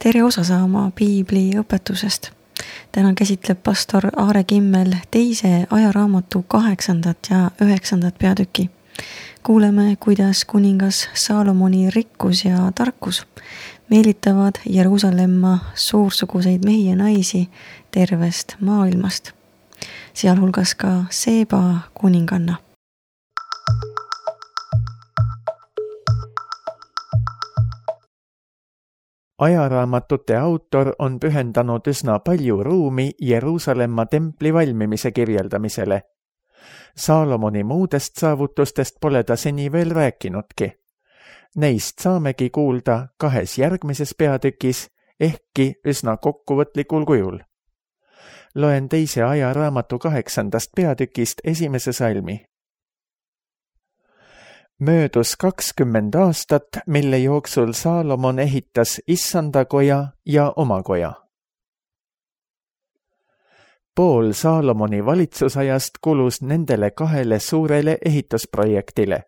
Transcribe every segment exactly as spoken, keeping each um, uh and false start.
tere osa saama piibli õpetusest. Täna käsitleb pastor Aare Kimmel teise ajaraamatu kaheksandat ja üheksandat peatüki. Kuuleme, kuidas kuningas Saalomoni rikkus ja tarkus meelitavad Jeruusalemma suursuguseid mehi ja naisi tervest maailmast, sealhulgas ka Seeba kuninganna. Ajaraamatute autor on pühendanud üsna palju ruumi Jeruusalemma templi valmimise kirjeldamisele. Saalomoni muudest saavutustest pole ta seni veel rääkinudki. Neist saamegi kuulda kahes järgmises peatükis, ehkki üsna kokkuvõtlikul kujul. Loen teise ajaraamatu kaheksandast peatükist esimese salmi. Möödus kakskümmend aastat, mille jooksul Saalomon ehitas issanda koja ja oma koja. Pool Saalomoni valitsusajast kulus nendele kahele suurele ehitusprojektile.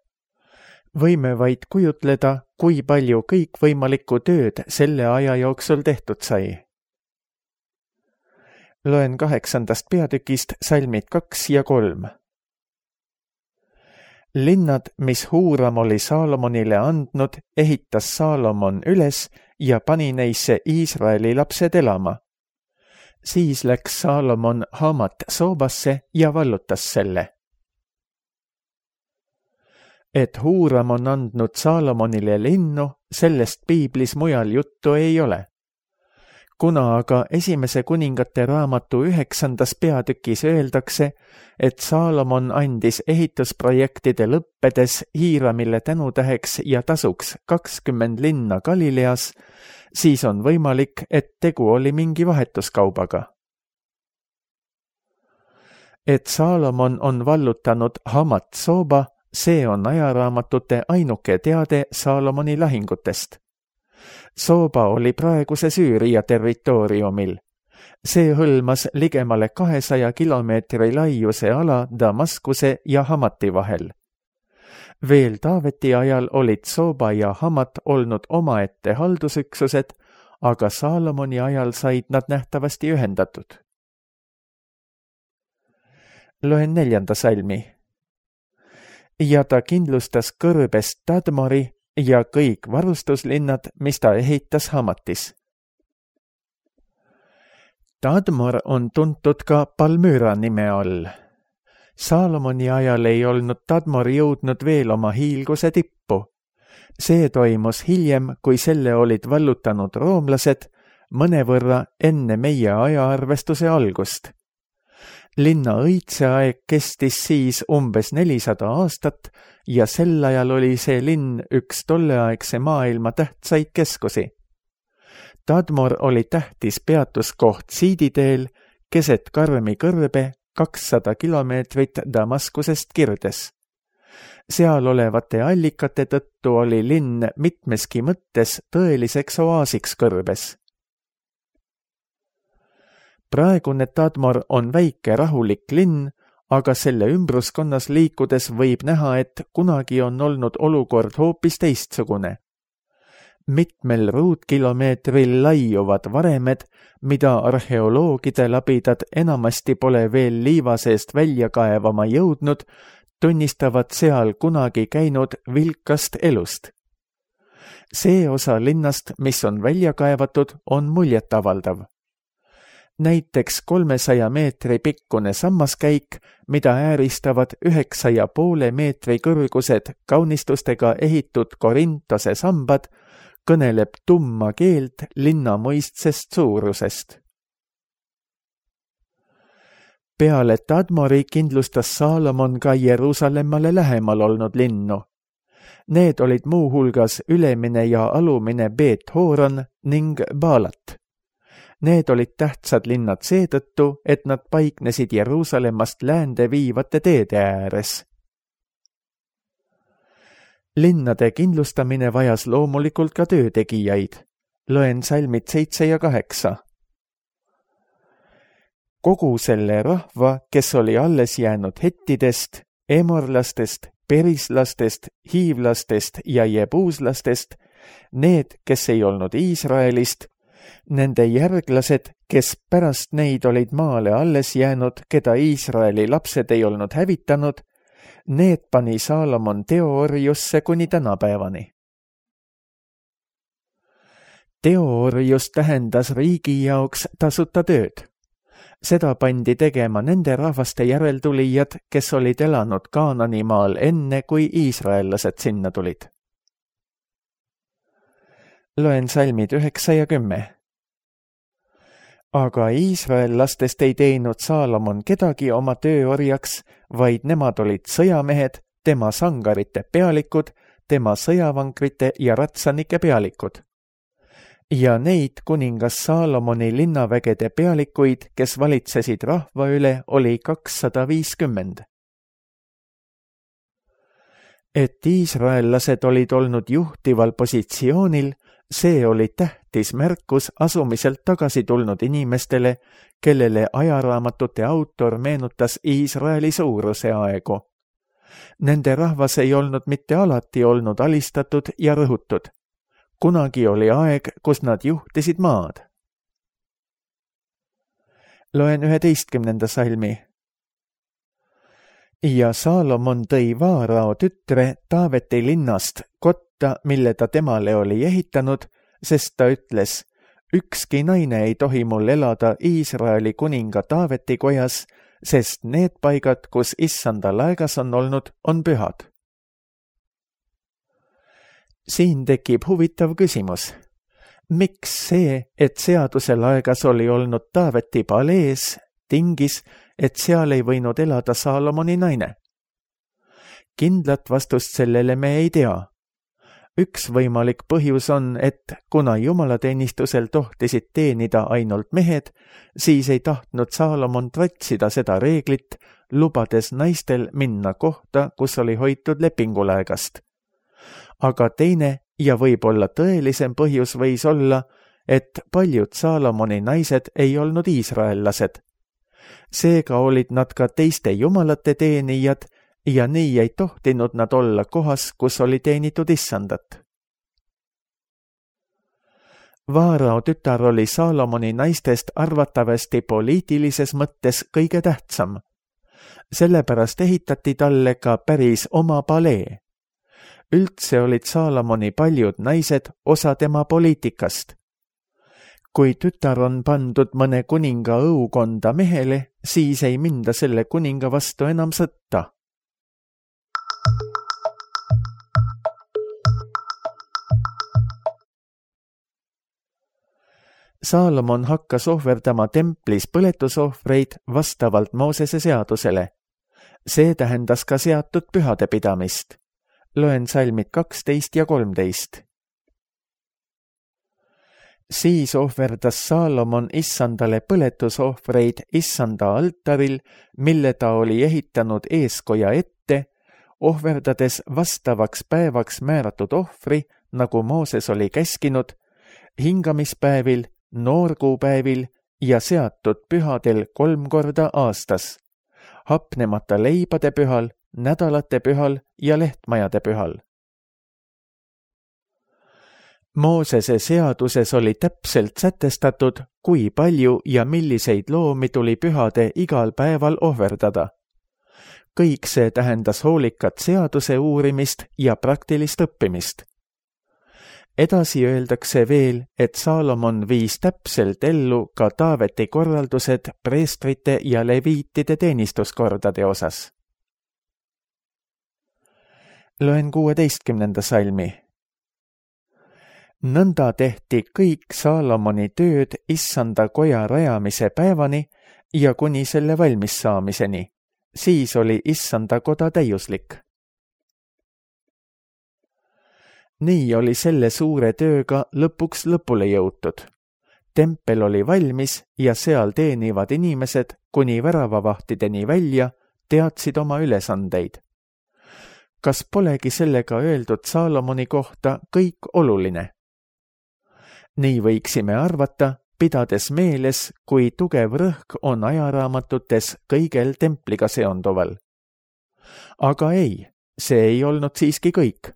Võime vaid kujutleda, kui palju kõikvõimalikku tööd selle aja jooksul tehtud sai. Loen kaheksandast peatükist salmid kaks ja kolm. Linnad, mis Huuram oli Saalomonile andnud, ehitas Saalomon üles ja pani neisse Iisraeli lapsed elama. Siis läks Saalomon Hamat Soobasse ja vallutas selle. Et Huuram on andnud Saalomonile linnu, sellest piiblis mujal juttu ei ole. Kuna aga esimese kuningate raamatu üheksandas peatükis öeldakse, et Saalomon andis ehitusprojektide lõppedes Hiiramile tänutäheks ja tasuks kakskümmend linna Galileas, siis on võimalik, et tegu oli mingi vahetuskaubaga. Et Saalomon on vallutanud Hamat Sooba, see on ajaraamatute ainuke teade Saalomoni lahingutest. Sooba oli praeguse Süüria territooriumil. See hõlmas ligemale kahesaja kilomeetri laiuse ala Damaskuse ja Hamati vahel. Veel Taaveti ajal olid Sooba ja Hamat olnud omaette haldusüksused, aga Saalomoni ajal said nad nähtavasti ühendatud. Loen neljanda salmi. Ja ta kindlustas kõrbest Tadmori ja kõik varustuslinnad, mis ta ehitas Hamatis. Tadmor on tuntud ka Palmyra nime all. Saalomoni ajal ei olnud Tadmor jõudnud veel oma hiilguse tippu. See toimus hiljem, kui selle olid vallutanud roomlased, mõnevõrra enne meie ajaarvestuse algust. Linna õitseaeg kestis siis umbes nelisada aastat ja sel ajal oli see linn üks tolleaegse maailma tähtsaid keskusi. Tadmor oli tähtis peatuskoht Siiditeel, keset karmi kõrbe kakssada kilomeetrit Damaskusest kirdes. Seal olevate allikate tõttu oli linn mitmeski mõttes tõeliseks oaasiks kõrbes. Praegune Tadmor on väike rahulik linn, aga selle ümbruskonnas liikudes võib näha, et kunagi on olnud olukord hoopis teistsugune. Mitmel ruutkilomeetril laiuvad varemed, mida arheoloogide labidad enamasti pole veel liiva seest välja kaevama jõudnud, tunnistavad seal kunagi käinud vilkast elust. See osa linnast, mis on välja kaevatud, on muljetavaldav. Näiteks kolmesaja meetri pikkune sammaskäik, mida ääristavad üheksa ja poole meetri kõrgused kaunistustega ehitud Korintose sambad, kõneleb tumma keelt linna mõistsest suurusest. Peale Tadmori kindlustas Saalomon ka Jeruusalemmale lähemal olnud linnu. Need olid muu hulgas ülemine ja alumine Beet-Horon ning Baalat. Need olid tähtsad linnad seetõttu, et nad paiknesid Jeruusalemmast läände viivate teede ääres. Linnade kindlustamine vajas loomulikult ka töötegijaid. Loen salmid seitse ja kaheksa. Kogu selle rahva, kes oli alles jäänud hettidest, emorlastest, perislastest, hiivlastest ja jebuuslastest, need, kes ei olnud Iisraelist, Nende järglased, kes pärast neid olid maale alles jäänud, keda Iisraeli lapsed ei olnud hävitanud, need pani Saalomon teoorjusse kuni tänapäevani. Teoorjus tähendas riigi jaoks tasuta tööd. Seda pandi tegema nende rahvaste järeltulijad, kes olid elanud Kaananimaal enne, kui iisraellased sinna tulid. Loen salmid üheksa ja kümme. Aga iisraellastest ei teinud Saalomon kedagi oma tööorjaks, vaid nemad olid sõjamehed, tema sangarite pealikud, tema sõjavankrite ja ratsanike pealikud. Ja neid kuningas Saalomoni linnavägede pealikuid, kes valitsesid rahva üle, oli kakssada viiskümmend. Et iisraellased olid olnud juhtival positsioonil, see oli tähtis märkus asumiselt tagasi tulnud inimestele, kellele ajaraamatute autor meenutas Iisraeli suuruse aegu. Nende rahvas ei olnud mitte alati olnud alistatud ja rõhutud. Kunagi oli aeg, kus nad juhtisid maad. Loen üheteistkümnenda salmi. Ja Saalomon tõi Vaarao tütre Taaveti linnast kotta, mille ta temale oli ehitanud, sest ta ütles, ükski naine ei tohi mul elada Iisraeli kuninga Taaveti kojas, sest need paigad, kus issanda laegas on olnud, on pühad. Siin tekib huvitav küsimus. Miks see, et seaduse laegas oli olnud Taaveti palees, tingis, et seal ei võinud elada Saalomoni naine? Kindlat vastust sellele me ei tea. Üks võimalik põhjus on, et kuna jumalateenistusel tohtisid teenida ainult mehed, siis ei tahtnud Saalomon tratsida seda reeglit, lubades naistel minna kohta, kus oli hoitud lepingulaegast. Aga teine ja võib-olla tõelisem põhjus võis olla, et paljud Saalomoni naised ei olnud iisraellased. Seega olid nad ka teiste jumalate teenijad ja nii ei tohtinud nad olla kohas, kus oli teenitud issandat. Vaarao tütar oli Saalomoni naistest arvatavasti poliitilises mõttes kõige tähtsam. Sellepärast ehitati talle ka päris oma palee. Üldse olid Saalomoni paljud naised osa tema poliitikast. Kui tütar on pandud mõne kuninga õukonda mehele, siis ei minda selle kuninga vastu enam sõtta. Saalomon hakkas ohverdama templis põletusohvreid vastavalt Moosese seadusele. See tähendas ka seatud pühade pidamist. Loen salmid kaksteist ja kolmteist. Siis ohverdas Saalomon issandale põletusohvreid issanda altaril, mille ta oli ehitanud eeskoja ette, ohverdades vastavaks päevaks määratud ohvri, nagu Mooses oli käskinud, hingamispäevil, noorkuupäevil ja seatud pühadel kolm korda aastas, hapnemata leibade pühal, nädalate pühal ja lehtmajade pühal. Moosese seaduses oli täpselt sätestatud, kui palju ja milliseid loomi tuli pühade igal päeval ohverdada. Kõik see tähendas hoolikat seaduse uurimist ja praktilist õppimist. Edasi öeldakse veel, et Saalomon viis täpselt ellu ka Taaveti korraldused preestrite ja leviitide teenistuskordade osas. Loen kuueteistkümnenda salmi. Nõnda tehti kõik Saalomoni tööd issanda koja rajamise päevani ja kuni selle valmis saamiseni. Siis oli issanda koda täiuslik. Nii oli selle suure tööga lõpuks lõpule jõutud. Tempel oli valmis ja seal teenivad inimesed kuni väravavahtideni välja teadsid oma ülesandeid. Kas polegi sellega öeldud Saalomoni kohta kõik oluline? Nii võiksime arvata, pidades meeles, kui tugev rõhk on ajaraamatutes kõigel templiga seonduval. Aga ei, see ei olnud siiski kõik.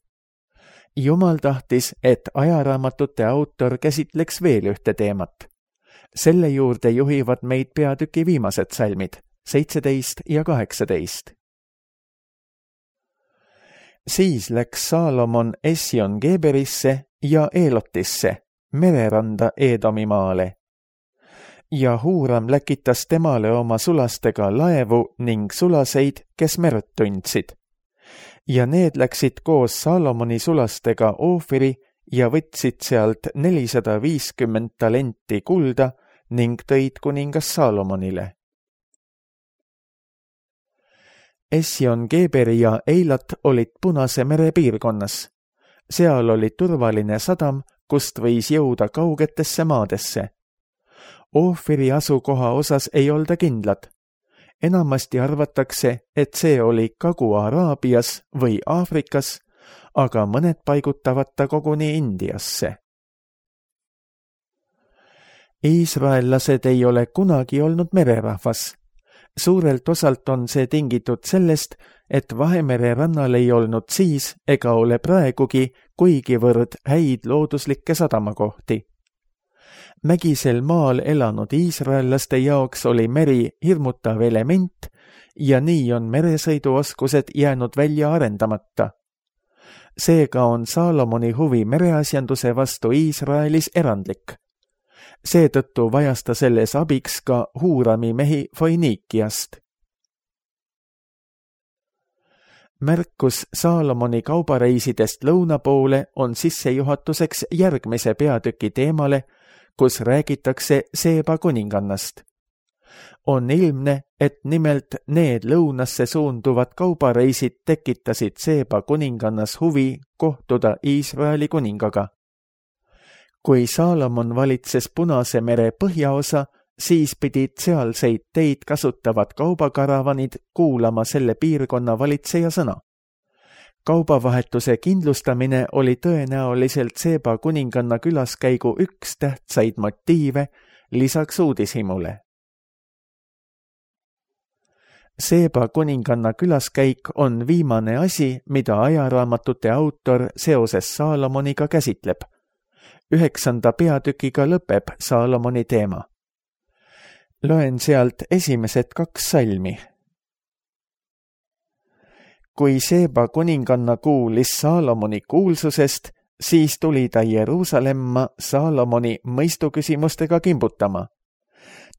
Jumal tahtis, et ajaraamatute autor käsitleks veel ühte teemat. Selle juurde juhivad meid peatüki viimased salmid, seitseteist ja kaheksateist. Siis läks Saalomon Esjon-Geberisse ja Eelotisse, mereranda Eedomi maale. Ja Huuram läkitas temale oma sulastega laevu ning sulaseid, kes merd tundsid. Ja need läksid koos Saalomoni sulastega Oofiri ja võtsid sealt nelisada viiskümmend talenti kulda ning tõid kuningas Saalomonile. Esjon-Geberi ja Eilat olid Punase mere piirkonnas. Seal oli turvaline sadam, kust võis jõuda kaugetesse maadesse. Oofiri asukoha osas ei olda kindlad. Enamasti arvatakse, et see oli Kagu-Araabias või Aafrikas, aga mõned paigutavad ta koguni Indiasse. Iisraellased ei ole kunagi olnud mererahvas. Suurelt osalt on see tingitud sellest, et Vahemere rannal ei olnud siis ega ole praegugi kuigivõrd häid looduslikke sadamakohti. Mägisel maal elanud iisraellaste jaoks oli meri hirmutav element ja nii on meresõiduoskused jäänud välja arendamata. Seega on Saalomoni huvi mereasjanduse vastu Iisraelis erandlik. Seetõttu vajas ta selles abiks ka Huurami mehi Foiniikiast. Märkus Saalomoni kaubareisidest lõuna poole on sissejuhatuseks järgmise peatüki teemale, kus räägitakse Seeba kuningannast. On ilmne, et nimelt need lõunasse suunduvad kaubareisid tekitasid Seeba kuningannas huvi kohtuda Iisraeli kuningaga. Kui Saalomon valitses Punase mere põhjaosa, siis pidid sealseid teid kasutavad kaubakaravanid kuulama selle piirkonna valitseja sõna. Kaubavahetuse kindlustamine oli tõenäoliselt Seeba kuninganna külaskäigu üks tähtsaid motiive lisaks uudishimule. Seeba kuninganna külaskäik on viimane asi, mida ajaraamatute autor seoses Saalomoniga käsitleb. Üheksanda peatükiga lõpeb Saalomoni teema. Loen sealt esimesed kaks salmi. Kui Seeba kuninganna kuulis Saalomoni kuulsusest, siis tuli ta Jeruusalemma Saalomoni mõistuküsimustega kimbutama.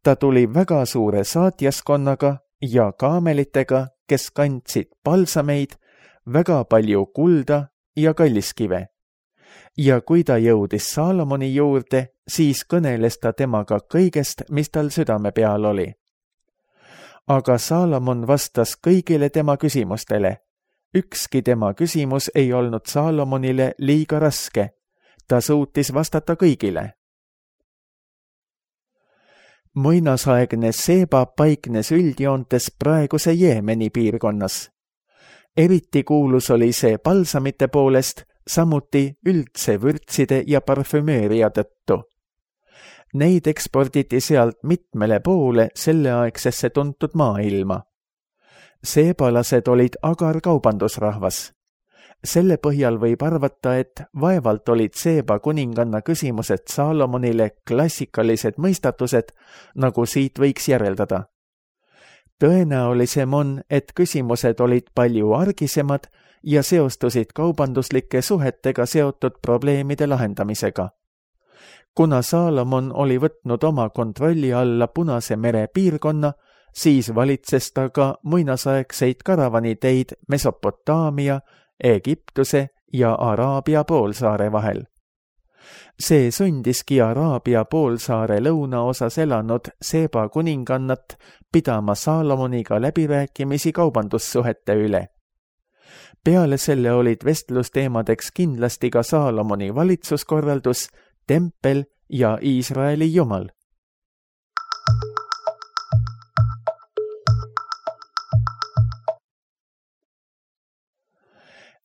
Ta tuli väga suure saatjaskonnaga ja kaamelitega, kes kandsid palsameid, väga palju kulda ja kalliskive. Ja kui ta jõudis Saalomoni juurde, siis kõneles ta temaga kõigest, mis tal südame peal oli. Aga Saalomon vastas kõigile tema küsimustele. Ükski tema küsimus ei olnud Saalomonile liiga raske. Ta suutis vastata kõigile. Muinasaegne Seeba paiknes üldjoontes praeguse Jeemeni piirkonnas. Eriti kuulus oli see palsamite poolest, samuti üldse vürtside ja parfümööria tõttu. Neid eksporditi sealt mitmele poole selleaegsesse tuntud maailma. Seebalased olid agar kaubandusrahvas. Selle põhjal võib arvata, et vaevalt olid Seeba kuninganna küsimused Saalomonile klassikalised mõistatused, nagu siit võiks järeldada. Tõenäolisem on, et küsimused olid palju argisemad ja seostusid kaubanduslike suhetega seotud probleemide lahendamisega. Kuna Saalomon oli võtnud oma kontrolli alla Punase mere piirkonna, siis valitses ta ka muinasaegseid karavaniteid Mesopotaamia, Egiptuse ja Araabia poolsaare vahel. See sundiski Araabia poolsaare lõunaosas elanud Seeba kuningannat pidama Saalomoniga läbirääkimisi kaubandussuhete üle. Peale selle olid vestlusteemadeks kindlasti ka Saalomoni valitsuskorraldus, tempel ja Iisraeli jumal.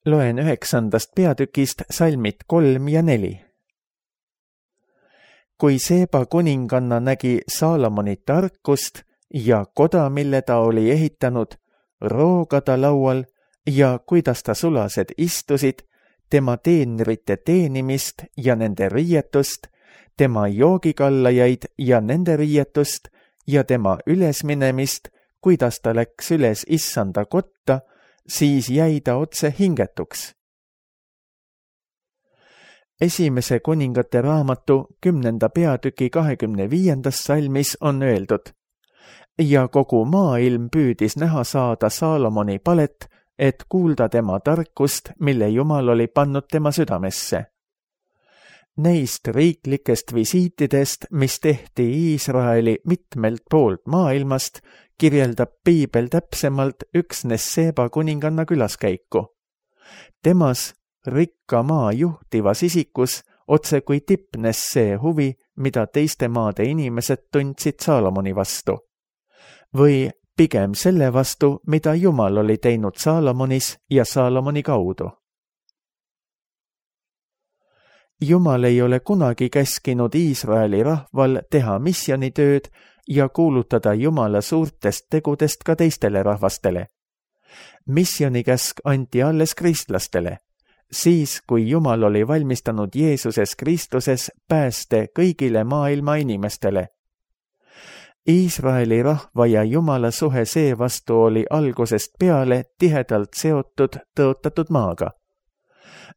Loen üheksandast peatükist salmid kolm ja neli. Kui Seeba kuninganna nägi Saalomoni tarkust ja koda, mille ta oli ehitanud, roogada laual ja kuidas ta sulased istusid, tema teenrite teenimist ja nende riietust, tema joogikallajaid ja nende riietust ja tema ülesminemist, kuidas ta läks üles issanda kotta, siis jäi ta otse hingetuks. Esimese kuningate raamatu kümnenda peatüki kahekümne viiendas salmis on öeldud: ja kogu maailm püüdis näha saada Saalomoni palet, et kuulda tema tarkust, mille Jumal oli pannud tema südamesse. Neist riiklikest visiitidest, mis tehti Iisraeli mitmelt poolt maailmast, kirjeldab piibel täpsemalt üksnes Seeba kuninganna külaskäiku. Temas, rikka maa juhtivas isikus, otse kui tipnes see huvi, mida teiste maade inimesed tundsid Saalomoni vastu. Või pigem selle vastu, mida Jumal oli teinud Saalomonis ja Saalomoni kaudu. Jumal ei ole kunagi käskinud Iisraeli rahval teha missioonitööd ja kuulutada Jumala suurtest tegudest ka teistele rahvastele. Missionikäsk anti alles kristlastele, siis kui Jumal oli valmistanud Jeesuses Kristuses pääste kõigile maailma inimestele. Iisraeli rahva ja Jumala suhe seevastu oli algusest peale tihedalt seotud tõotatud maaga.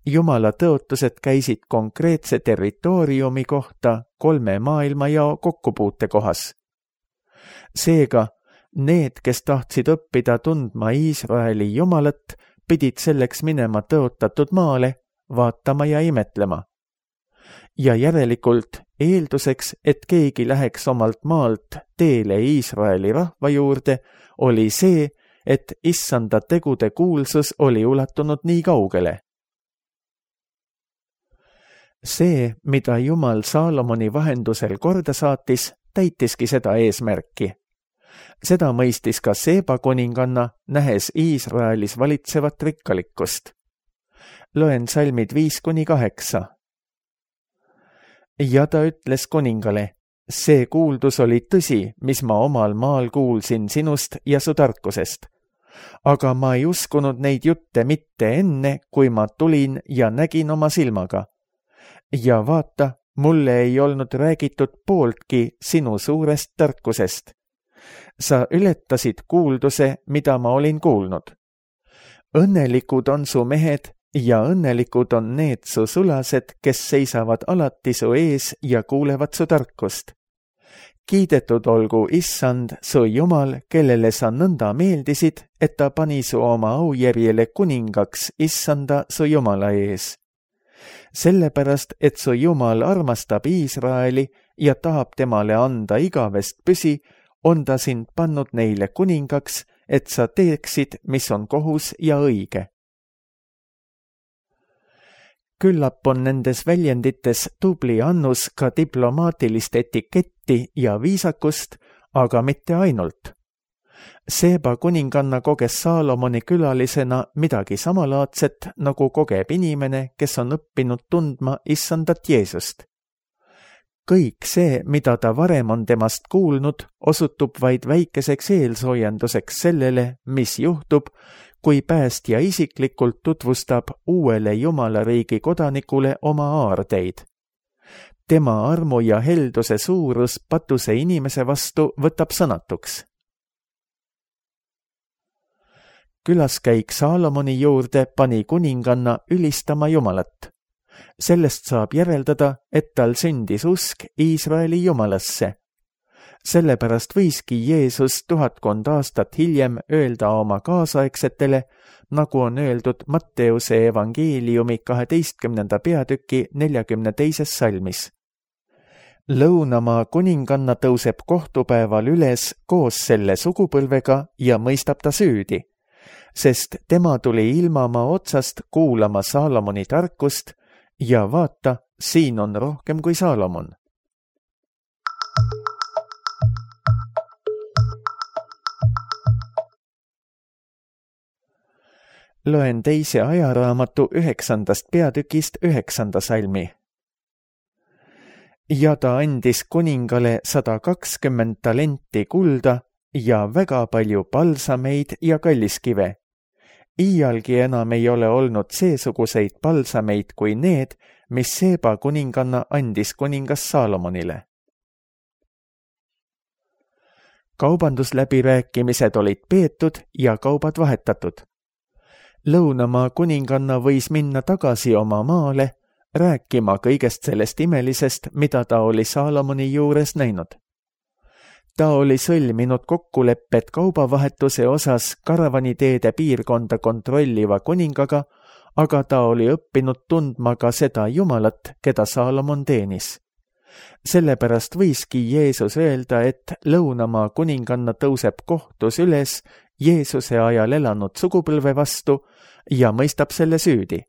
Jumala tõotused käisid konkreetse territooriumi kohta kolme maailmajao kokkupuute kohas. Seega, need, kes tahtsid õppida tundma Iisraeli Jumalat, pidid selleks minema tõotatud maale, vaatama ja imetlema. Ja järelikult eelduseks, et keegi läheks omalt maalt teele Iisraeli rahva juurde, oli see, et issanda tegude kuulsus oli ulatunud nii kaugele. See, mida Jumal Saalomoni vahendusel korda saatis, täitiski seda eesmärki. Seda mõistis ka Seeba kuninganna, nähes Iisraelis valitsevat rikkalikkust. Loen salmid viis kuni kaheksa. Ja ta ütles kuningale: see kuuldus oli tõsi, mis ma omal maal kuulsin sinust ja su tarkusest. Aga ma ei uskunud neid jutte mitte enne, kui ma tulin ja nägin oma silmaga. Ja vaata, mulle ei olnud räägitud pooltki sinu suurest tarkusest. Sa ületasid kuulduse, mida ma olin kuulnud. Õnnelikud on su mehed ja õnnelikud on need su sulased, kes seisavad alati su ees ja kuulevad su tarkust. Kiidetud olgu issand, su Jumal, kellele sa nõnda meeldisid, et ta pani su oma aujärjele kuningaks issanda su Jumala ees. Sellepärast, et su Jumal armastab Iisraeli ja tahab temale anda igavest püsi, on ta sind pannud neile kuningaks, et sa teeksid, mis on kohus ja õige. Küllap on nendes väljendites tubli annus ka diplomaatilist etiketti ja viisakust, aga mitte ainult. Seeba kuninganna koges Saalomoni külalisena midagi samalaadset, nagu kogeb inimene, kes on õppinud tundma issandat Jeesust. Kõik see, mida ta varem on temast kuulnud, osutub vaid väikeseks eelsoojenduseks sellele, mis juhtub, kui päästja isiklikult tutvustab uuele Jumala riigi kodanikule oma aardeid. Tema armu ja helduse suurus patuse inimese vastu võtab sõnatuks. Külaskäik Saalomoni juurde pani kuninganna ülistama Jumalat. Sellest saab järeldada, et tal sündis usk Iisraeli Jumalasse. Sellepärast võiski Jeesus tuhatkond aastat hiljem öelda oma kaasaegsetele, nagu on öeldud Matteuse evangeeliumi kaheteistkümnenda peatüki neljakümne teises salmis. Lõunamaa kuninganna tõuseb kohtupäeval üles koos selle sugupõlvega ja mõistab ta süüdi, sest tema tuli ilmamaa otsast kuulama Saalomoni tarkust ja vaata, siin on rohkem kui Saalomon. Loen teise ajaraamatu üheksandast peatükist üheksanda salmi. Ja ta andis kuningale sada kakskümmend talenti kulda ja väga palju palsameid ja kalliskive. Iialgi enam ei ole olnud seesuguseid palsameid kui need, mis Seeba kuninganna andis kuningas Saalomonile. Kaubandusläbirääkimised olid peetud ja kaubad vahetatud. Lõunamaa kuninganna võis minna tagasi oma maale, rääkima kõigest sellest imelisest, mida ta oli Saalomoni juures näinud. Ta oli sõlminud kokkulepped kaubavahetuse osas karavaniteede piirkonda kontrolliva kuningaga, aga ta oli õppinud tundma ka seda Jumalat, keda Saalomon teenis. Sellepärast võiski Jeesus öelda, et lõunamaa kuninganna tõuseb kohtus üles Jeesuse ajal elanud sugupõlve vastu ja mõistab selle süüdi.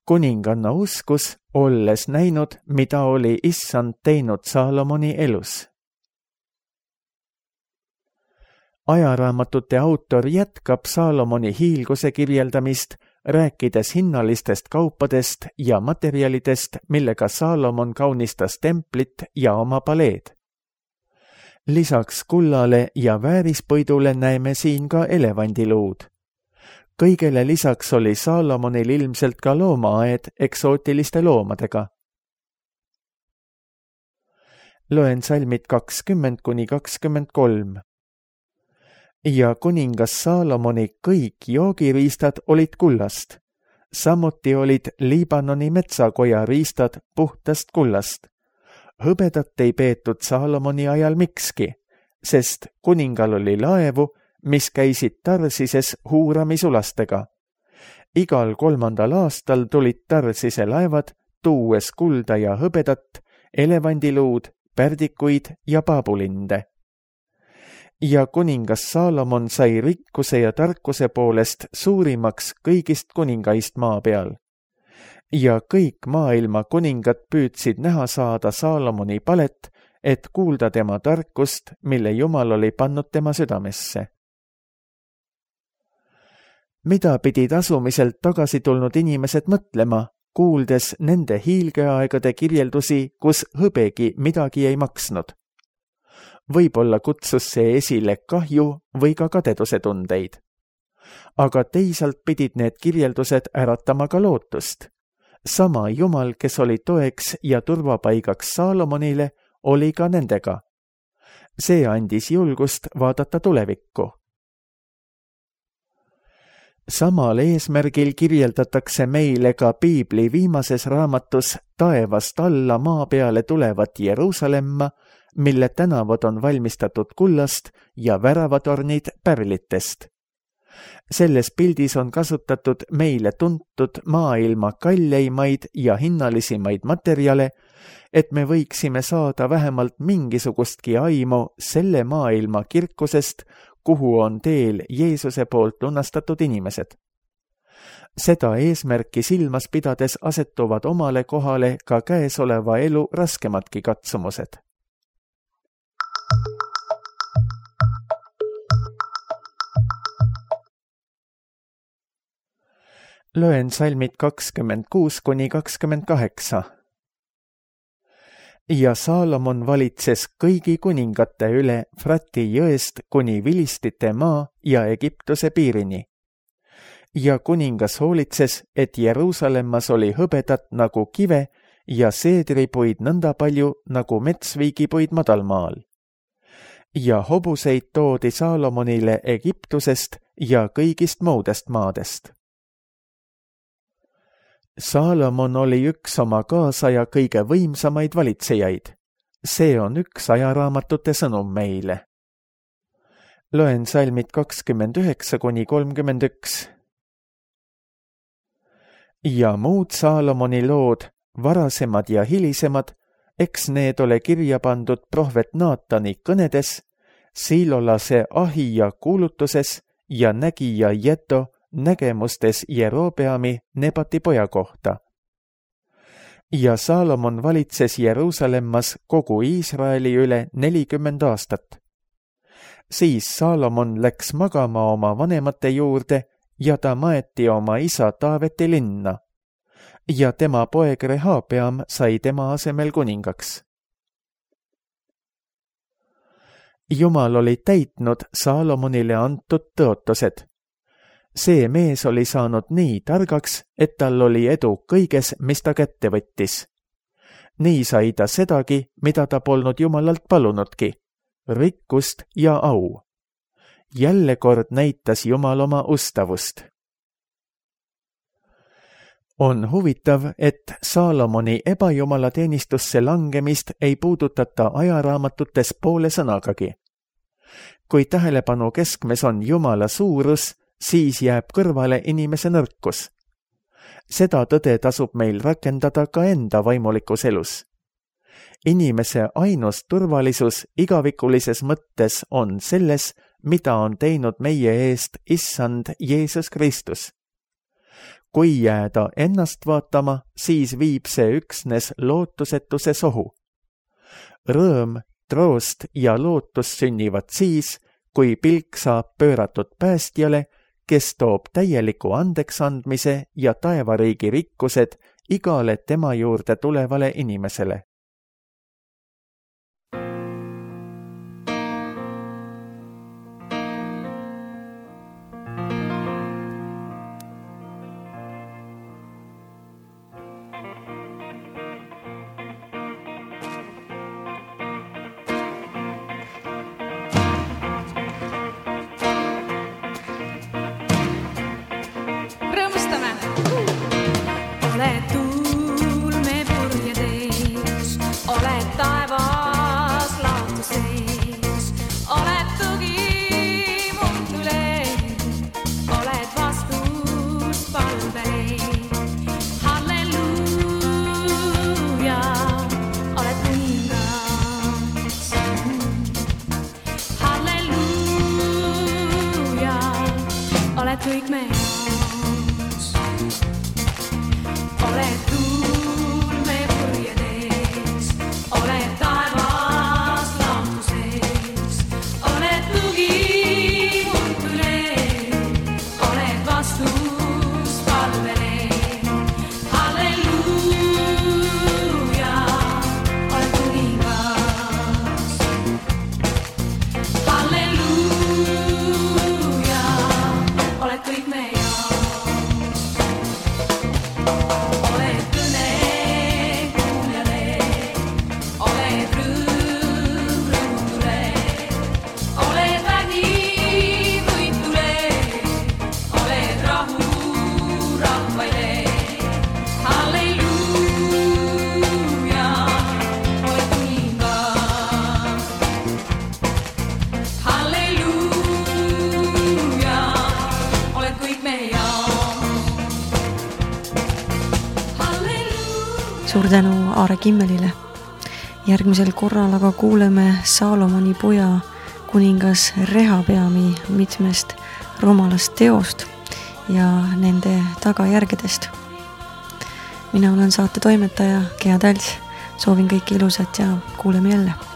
Kuninganna uskus, olles näinud, mida oli Issand teinud Saalomoni elus. Ajaraamatute autor jätkab Saalomoni hiilguse kirjeldamist, rääkides hinnalistest kaupadest ja materjalidest, millega Saalomon kaunistas templit ja oma paleed. Lisaks kullale ja väärispõidule näeme siin ka elevandiluud. Kõigele lisaks oli Saalomonil ilmselt ka loomaaed eksootiliste loomadega. Loen salmid kakskümmend kuni kakskümmend kolm. Ja kuningas Saalomoni kõik joogiriistad olid kullast. Samuti olid Liibanoni metsakoja riistad puhtast kullast. Hõbedat ei peetud Saalomoni ajal mikski, sest kuningal oli laevu, mis käisid Tarsises huuramisulastega. Igal kolmandal aastal tulid Tarsise laevad, tuues kulda ja hõbedat, elevandiluud, pärdikuid ja paabulinde. Ja kuningas Saalomon sai rikkuse ja tarkuse poolest suurimaks kõigist kuningaist maa peal. Ja kõik maailma kuningad püüdsid näha saada Saalomoni palet, et kuulda tema tarkust, mille Jumal oli pannud tema südamesse. Mida pidid asumiselt tagasi tulnud inimesed mõtlema, kuuldes nende hiilgeaegade kirjeldusi, kus hõbegi midagi ei maksnud? Võib-olla kutsus see esile kahju või ka kadeduse tundeid. Aga teisalt pidid need kirjeldused äratama ka lootust. Sama Jumal, kes oli toeks ja turvapaigaks Saalomonile, oli ka nendega. See andis julgust vaadata tulevikku. Samal eesmärgil kirjeldatakse meile ka Piibli viimases raamatus taevast alla maa peale tulevat Jeruusalemma, mille tänavad on valmistatud kullast ja väravatornid pärlitest. Selles pildis on kasutatud meile tuntud maailma kalleimaid ja hinnalisimaid materjale, et me võiksime saada vähemalt mingisugustki aimu selle maailma kirkusest, kuhu on teel Jeesuse poolt lunastatud inimesed. Seda eesmärki silmas pidades asetuvad omale kohale ka käesoleva elu raskemadki katsumused. Loen salmid kakskümmend kuus kuni kakskümmend kaheksa. Ja Saalomon valitses kõigi kuningate üle Frati jõest kuni Vilistite maa ja Egiptuse piirini. Ja kuningas hoolitses, et Jeruusalemmas oli hõbedat nagu kive ja seedripuid nõnda palju nagu metsviigipuid madalmaal. Ja hobuseid toodi Saalomonile Egiptusest ja kõigist muudest maadest. Saalomon oli üks oma kaasaja kõige võimsamaid valitsejaid. See on üks ajaraamatute sõnum meile. Loen salmid kakskümmend üheksa kuni kolmkümmend üks. Ja muud Saalomoni lood, varasemad ja hilisemad, eks need ole kirja pandud prohvet Naatani kõnedes, siilolase Ahija kuulutuses ja nägija Jeto nägemustes Jerobeami Nebati poja kohta. Ja Saalomon valitses Jeruusalemmas kogu Iisraeli üle nelikümmend aastat. Siis Saalomon läks magama oma vanemate juurde ja ta maeti oma isa Taaveti linna. Ja tema poeg Rehabeam sai tema asemel kuningaks. Jumal oli täitnud Saalomonile antud tõotused. see mees oli saanud nii targaks, et tal oli edu kõiges, mis ta kätte võttis. Nii sai ta sedagi, mida ta polnud Jumalalt palunudki, rikkust ja au. Jälle kord näitas Jumal oma ustavust. On huvitav, et Saalomoni ebajumalateenistusse langemist ei puudutata ajaraamatutes poole sõnagagi. Kui tähelepanu keskmes on Jumala suurus, siis jääb kõrvale inimese nõrkus. Seda tõde tasub meil rakendada ka enda vaimulikus elus. Inimese ainus turvalisus igavikulises mõttes on selles, mida on teinud meie eest Issand Jeesus Kristus. Kui jääda ennast vaatama, siis viib see üksnes lootusetuse sohu. Rõõm, troost ja lootus sünnivad siis, kui pilk saab pööratud päästjale, kes toob täieliku andeksandmise ja taevariigi rikkused igale tema juurde tulevale inimesele. Kõik me jaoks oled tuul me purjedes, oled taevas laotuses, oled tugi muutule, oled vastus palvele. Halleluuja, oled kuningas. Halleluuja, oled kõik me jaoks. Oled kõne kuuljale, oled rõõm rõõmutule, oled vägi võitule, oled rahu rahvaile. Halleluuja, oled kuningas. Halleluuja, oled kõik me jaoks. Halleluuja. Suur tänu Aare Kimmelile. Järgmisel korral aga kuuleme Saalomoni poja kuningas Rehabeami mitmest rumalast teost ja nende tagajärgedest. Mina olen saate toimetaja Gea Täls. Soovin kõike ilusat ja kuuleme jälle.